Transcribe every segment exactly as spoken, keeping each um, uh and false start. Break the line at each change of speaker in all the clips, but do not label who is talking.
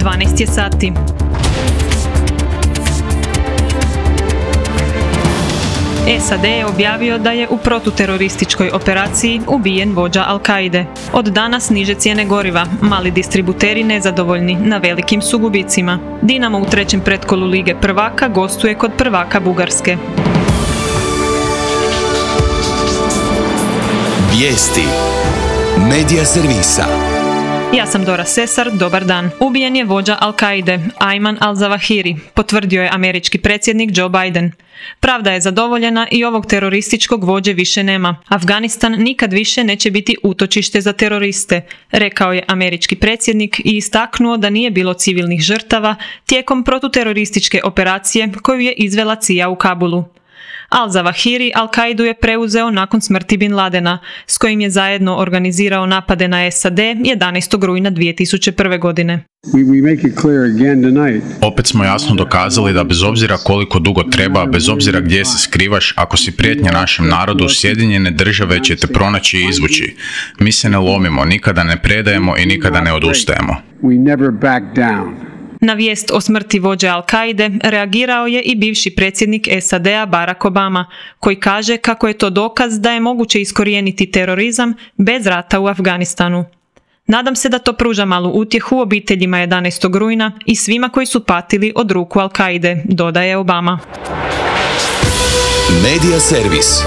dvanaest je sati. S A D je objavio da je u protuterorističkoj operaciji ubijen vođa Al-Kaide. Od danas niže cijene goriva, mali distributeri nezadovoljni, na velikim su gubicima. Dinamo u trećem pretkolu Lige prvaka gostuje kod prvaka Bugarske.
Vijesti Medija servisa.
Ja sam Dora Sesar, dobar dan. Ubijen je vođa Al-Kaide, Ayman al-Zawahiri, potvrdio je američki predsjednik Joe Biden. Pravda je zadovoljena i ovog terorističkog vođe više nema. Afganistan nikad više neće biti utočište za teroriste, rekao je američki predsjednik i istaknuo da nije bilo civilnih žrtava tijekom protuterorističke operacije koju je izvela C I A u Kabulu. Al-Zawahiri Al-Kaidu je preuzeo nakon smrti Bin Ladena, s kojim je zajedno organizirao napade na S A D jedanaestog rujna dvije tisuće prve. godine.
Opet smo jasno dokazali da bez obzira koliko dugo treba, bez obzira gdje se skrivaš, ako si prijetnja našem narodu, Sjedinjene države će te pronaći i izvući. Mi se ne lomimo, nikada ne predajemo i nikada ne odustajemo.
Na vijest o smrti vođe Al-Kaide reagirao je i bivši predsjednik S A D-a Barack Obama, koji kaže kako je to dokaz da je moguće iskorijeniti terorizam bez rata u Afganistanu. Nadam se da to pruža malu utjehu obiteljima jedanaestog rujna i svima koji su patili od ruku Al-Kaide, dodaje Obama.
Medija servis.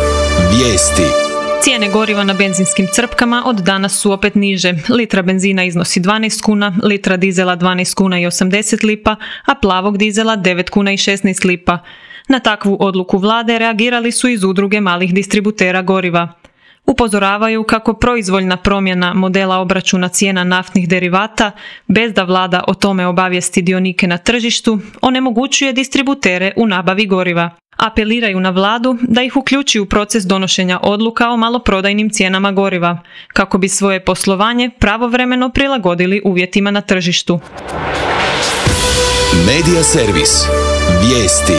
Vijesti.
Cijene goriva na benzinskim crpkama od danas su opet niže. Litra benzina iznosi dvanaest kuna, litra dizela dvanaest kuna i osamdeset lipa, a plavog dizela devet kuna i šesnaest lipa. Na takvu odluku vlade reagirali su iz udruge malih distributera goriva. Upozoravaju kako proizvoljna promjena modela obračuna cijena naftnih derivata, bez da vlada o tome obavijesti dionike na tržištu, onemogućuje distributere u nabavi goriva. Apeliraju na vladu da ih uključi u proces donošenja odluka o maloprodajnim cijenama goriva, kako bi svoje poslovanje pravovremeno prilagodili uvjetima na tržištu.
Medija servis. Vijesti.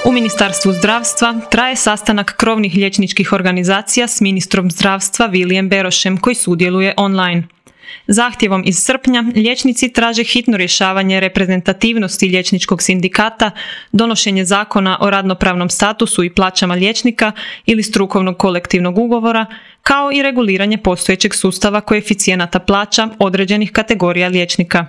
U Ministarstvu zdravstva traje sastanak krovnih liječničkih organizacija s ministrom zdravstva Vilijem Berošem, koji sudjeluje online. Zahtjevom iz srpnja liječnici traže hitno rješavanje reprezentativnosti liječničkog sindikata, donošenje zakona o radnopravnom statusu i plaćama liječnika ili strukovnog kolektivnog ugovora, kao i reguliranje postojećeg sustava koeficijenata plaća određenih kategorija liječnika.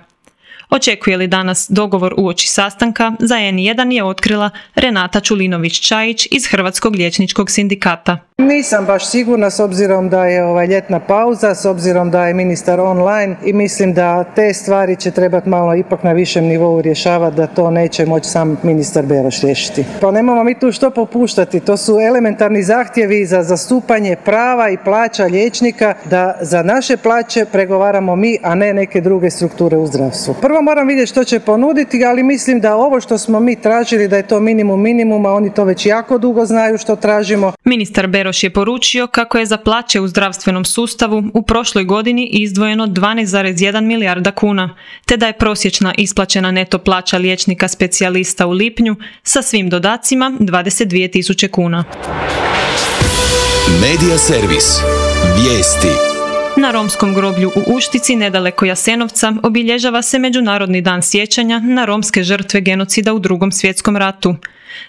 Očekuje li danas dogovor uoči sastanka, za N jedan je otkrila Renata Čulinović-Čajić iz Hrvatskog liječničkog sindikata.
Nisam baš sigurna s obzirom da je ovaj ljetna pauza, s obzirom da je ministar online i mislim da te stvari će trebati malo ipak na višem nivou rješavati, da to neće moći sam ministar Beroš riješiti. Pa nemamo mi tu što popuštati, to su elementarni zahtjevi za zastupanje prava i plaća liječnika, da za naše plaće pregovaramo mi, a ne neke druge strukture u zdravstvu. Prvo moram vidjeti što će ponuditi, ali mislim da ovo što smo mi tražili da je to minimum minimuma, oni to već jako dugo znaju što tražimo.
Ministar Beroš je poručio kako je za plaće u zdravstvenom sustavu u prošloj godini izdvojeno dvanaest zarez jedan milijarda kuna, te da je prosječna isplaćena neto plaća liječnika specijalista u lipnju sa svim dodacima dvadeset dvije tisuće kuna.
Medija servis. Vijesti.
Na romskom groblju u Uštici, nedaleko Jasenovca, obilježava se Međunarodni dan sjećanja na romske žrtve genocida u Drugom svjetskom ratu.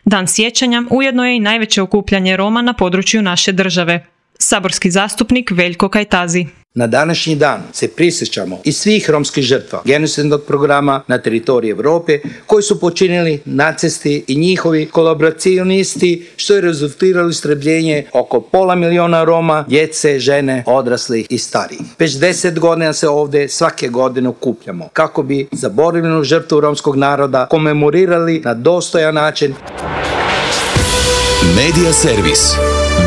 Dan sjećanja ujedno je i najveće okupljanje Roma na području naše države. Saborski zastupnik Veljko Kajtazi.
Na današnji dan se prisjećamo i svih romskih žrtva genocidnog programa na teritoriji Europe koji su počinili nacisti i njihovi kolaboracionisti, što je rezultiralo istrebljenje oko pola miliona Roma, djece, žene, odraslih i starijih. Već deset godina se ovdje svake godine okupljamo kako bi zaboravljenu žrtvu romskog naroda komemorirali na dostojan način.
Medija servis.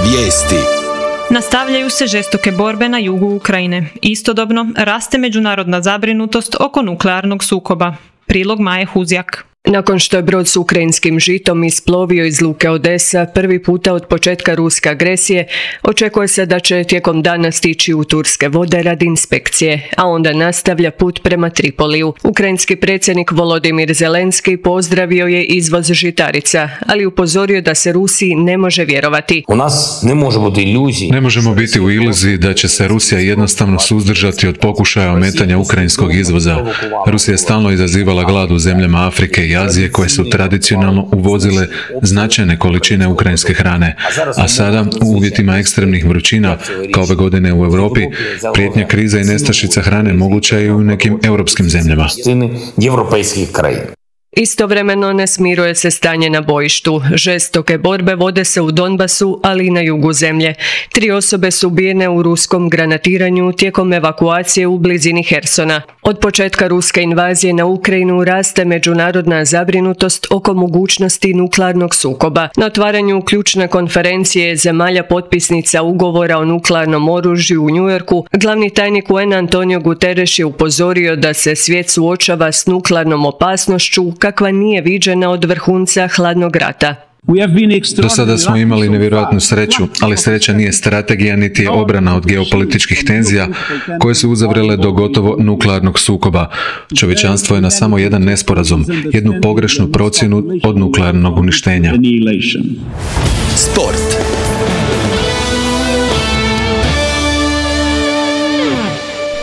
Vijesti.
Nastavljaju se žestoke borbe na jugu Ukrajine. Istodobno raste međunarodna zabrinutost oko nuklearnog sukoba. Prilog Maje Huzjak.
Nakon što je brod s ukrajinskim žitom isplovio iz luke Odesa prvi puta od početka ruske agresije, očekuje se da će tijekom dana stići u turske vode radi inspekcije, a onda nastavlja put prema Tripoliju. Ukrajinski predsjednik Volodimir Zelenski pozdravio je izvoz žitarica, ali upozorio da se Rusiji ne može vjerovati.
U nas ne može biti iluziji.
Ne možemo biti u iluziji da će se Rusija jednostavno suzdržati od pokušaja ometanja ukrajinskog izvoza. Rusija je stalno izazivala glad u zemljama Afrike i Azije koje su tradicionalno uvozile značajne količine ukrajinske hrane, a sada u uvjetima ekstremnih vrućina, kao ove godine u Europi, prijetnja kriza i nestašica hrane moguća je i u nekim europskim zemljama.
Istovremeno ne smiruje se stanje na bojištu. Žestoke borbe vode se u Donbasu, ali i na jugu zemlje. Tri osobe su ubijene u ruskom granatiranju tijekom evakuacije u blizini Hersona. Od početka ruske invazije na Ukrajinu raste međunarodna zabrinutost oko mogućnosti nuklearnog sukoba. Na otvaranju ključne konferencije zemalja potpisnica ugovora o nuklearnom oružju u New Yorku, glavni tajnik U N Antonio Guterres je upozorio da se svijet suočava s nuklearnom opasnošću kakva nije viđena od vrhunca hladnog rata.
Do sada smo imali nevjerojatnu sreću, ali sreća nije strategija niti je obrana od geopolitičkih tenzija koje su uzavrele do gotovo nuklearnog sukoba. Čovječanstvo je na samo jedan nesporazum, jednu pogrešnu procjenu od nuklearnog uništenja.
Sport.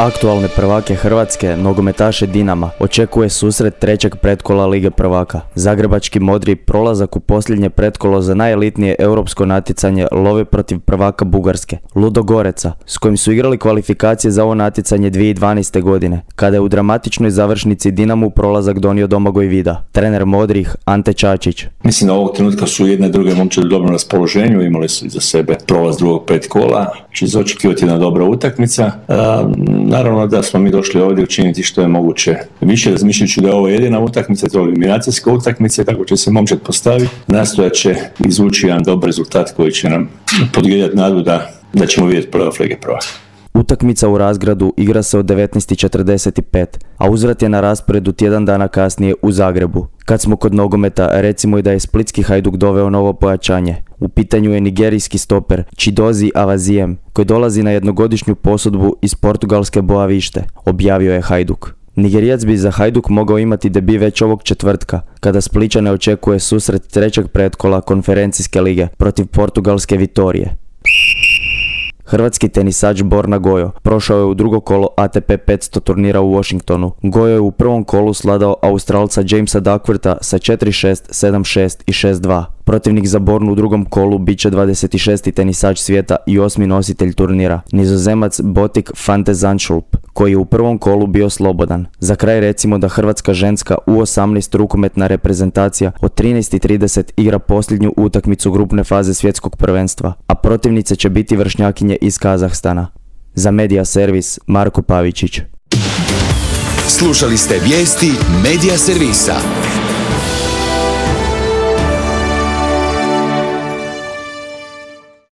Aktualne prvake Hrvatske, nogometaše Dinama, očekuje susret trećeg pretkola Lige prvaka. Zagrebački modri prolazak u posljednje pretkolo za najelitnije europsko natjecanje love protiv prvaka Bugarske, Ludogoreca, s kojim su igrali kvalifikacije za ovo natjecanje dvije tisuće dvanaeste. godine, kada je u dramatičnoj završnici Dinamu prolazak donio Domagoj Vida. Trener modrih Ante Čačić.
Mislim da ovog trenutka su jedne i druge momčadi u dobrom raspoloženju, imali su iza sebe prolaz drugog petkola, će se očekivati jedna dobra utakmica. Naravno da smo mi došli ovdje učiniti što je moguće više, razmišljajući da je ovo jedina utakmica, to je eliminacijska utakmica, tako će se momčad postaviti. Nastojat će izvući jedan dobar rezultat koji će nam podgrijati nadu da, da ćemo vidjeti playoff Lige prvaka.
Utakmica u Razgradu igra se od devetnaest i četrdeset pet, a uzvrat je na rasporedu tjedan dana kasnije u Zagrebu. Kad smo kod nogometa, recimo i da je splitski Hajduk doveo novo pojačanje. U pitanju je nigerijski stoper Chidozie Avazijem, koji dolazi na jednogodišnju posudbu iz portugalske Boavište, objavio je Hajduk. Nigerijac bi za Hajduk mogao imati debi već ovog četvrtka, kada Splićane očekuje susret trećeg pretkola konferencijske lige protiv portugalske Vitorije. Hrvatski tenisač Borna Gojo prošao je u drugo kolo A T P petsto turnira u Washingtonu. Gojo je u prvom kolu sladao Australca Jamesa Duckwortha sa četiri šest, sedam šest i šest dva. Protivnik za Bornu u drugom kolu bit će dvadeset šesti tenisač svijeta i osmi nositelj turnira, Nizozemac Botik van de Zandschulp, koji je u prvom kolu bio slobodan. Za kraj recimo da hrvatska ženska U osamnaest rukometna reprezentacija od trinaest i trideset igra posljednju utakmicu grupne faze svjetskog prvenstva, a protivnice će biti vršnjakinje iz Kazahstana. Za Medija Servis, Marko Pavičić.
Slušali ste vijesti Medija Servisa.